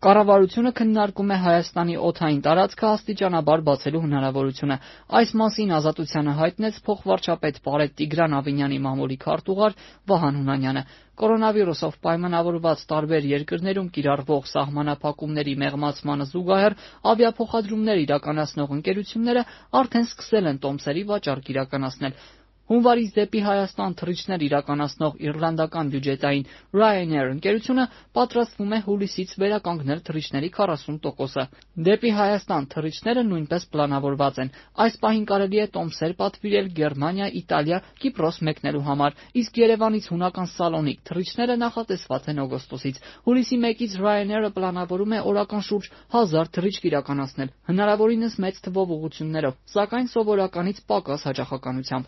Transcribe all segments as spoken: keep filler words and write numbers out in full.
Կառավարությունը քննարկում է Հայաստանի օդային տարածքը աստիճանաբար բացելու հնարավորությունը։ Այս մասին Ազատությանը հայտնեց փոխվարչապետ Պարետ Տիգրան Ավինյանի մամուլի քարտուղար Վահան Հունանյանը։ Կորոնավիրուսով պայմանավորված տարբեր երկրներում կիրառվող սահմանափակումների մեղմացմանը զուգահեռ ավիափոխադրումներ իրականացնող ընկերությունները արդեն սկսել են տոմսերի վաճառք իրականացնել։ Հունվարից դեպի Հայաստան թռիչքներ իրականացնող իռլանդական բյուջետային Ryanair ընկերությունը պատրաստվում է հուլիսից վերականգնել թռիչքների քառասուն տոկոսը։ Դեպի Հայաստան թռիչքները նույնպես պլանավորված են։ Այս պահին կարելի է տոմսեր պատվիրել Գերմանիա, Իտալիա, Կիպրոս մեկնելու համար, իսկ Երևանից հունական Սալոնիկ թռիչքները նախատեսված են օգոստոսից։ Հուլիսի մեկից Ryanair-ը պլանավորում է օրական շուրջ հազար թռիչք իրականացնել, հնարավորինս մեծ թվով ուղղություններով, սակայն սովորականից պակաս հաճախականությամբ։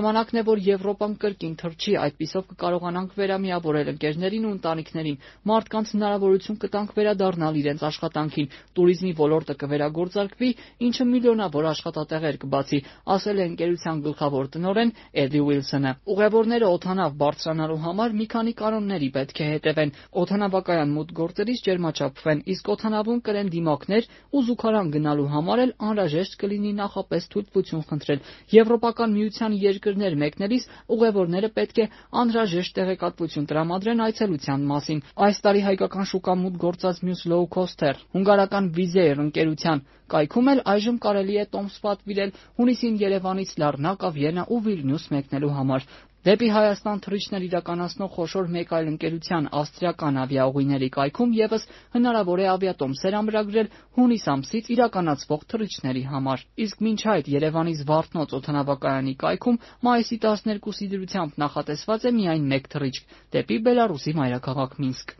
Ժամանակն է, որ Եվրոպան կրկին թռչի, այդպիսով կկարողանանք վերամիավորել ընկերներին ու ընտանիքներին, մարդկանց հնարավորություն կտանք վերադառնալ իրենց աշխատանքին, տուրիզմի ոլորտը կվերագործարկվի, ինչը միլիոնավոր աշխատատեղեր կբացի, ասել է ընկերության գլխավոր տնօրեն Էդի Ուիլսոնը։ Ուղևորները օդանավ բարձրանալու համար մի քանի կանոնների պետք է հետևեն։ Օդանավակայան մուտք գործելիս ջերմաչափվեն, իսկ օդանավում կրեն դիմակներ ու զուգարան գնալու համար էլ անհրաժեշտ կլինի նախապես թույլտվություն խնդրել։ Եվրոպական միության երկրներ մեկնելիս ուղևորները պետք է անհրաժեշտ տեղեկատվություն տրամադրեն այցելության մասին։ Այս տարի հայկական շուկա մուտք գործած մյուս լոու-քոսթեր հունգարական Wizz Air ընկերության կայքում էլ այժմ կարելի է տոմս պատվիրել հունիսին Երևանից Լառնակա, Վիեննա ու Վիլնյուս մեկնելու համար։ Դեպի Հայաստան թռիչքներ իրականացնող խոշոր մեկ այլ ընկերության ավստրիական ավիաուղիների կայքում ևս հնարավոր է ավիատոմսեր ամրագրել հունիս ամսից իրականացվող թռիչքների համար։ Իսկ մինչ այդ Երևանի Զվարթնոց օդանավակայանի կայքում մայիսի տասներկուսի դրությամբ նախատեսված է միայն մեկ թռիչք՝ դեպի Բելառուսի մայրաքաղաք Մինսկ։